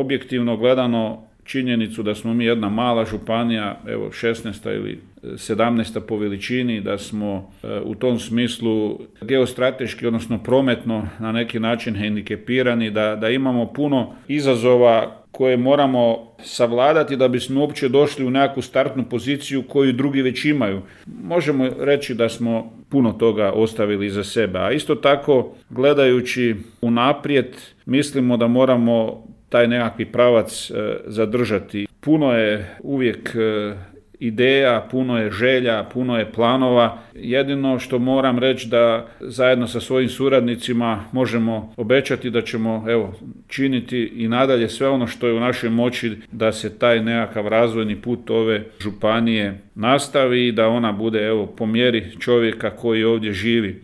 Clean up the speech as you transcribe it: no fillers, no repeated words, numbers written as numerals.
objektivno gledano činjenicu da smo mi jedna mala županija, evo 16. ili 17. po veličini, da smo u tom smislu geostrateški, odnosno prometno na neki način hendikepirani, da imamo puno izazova koje moramo savladati da bismo uopće došli u nekakvu startnu poziciju koju drugi već imaju. Možemo reći da smo puno toga ostavili iza sebe, a isto tako gledajući unaprijed mislimo da moramo taj nekakvi pravac zadržati. Puno je uvijek ideja, puno je želja, puno je planova. Jedino što moram reći da zajedno sa svojim suradnicima možemo obećati da ćemo činiti i nadalje sve ono što je u našoj moći da se taj nekakav razvojni put ove županije nastavi i da ona bude po mjeri čovjeka koji ovdje živi.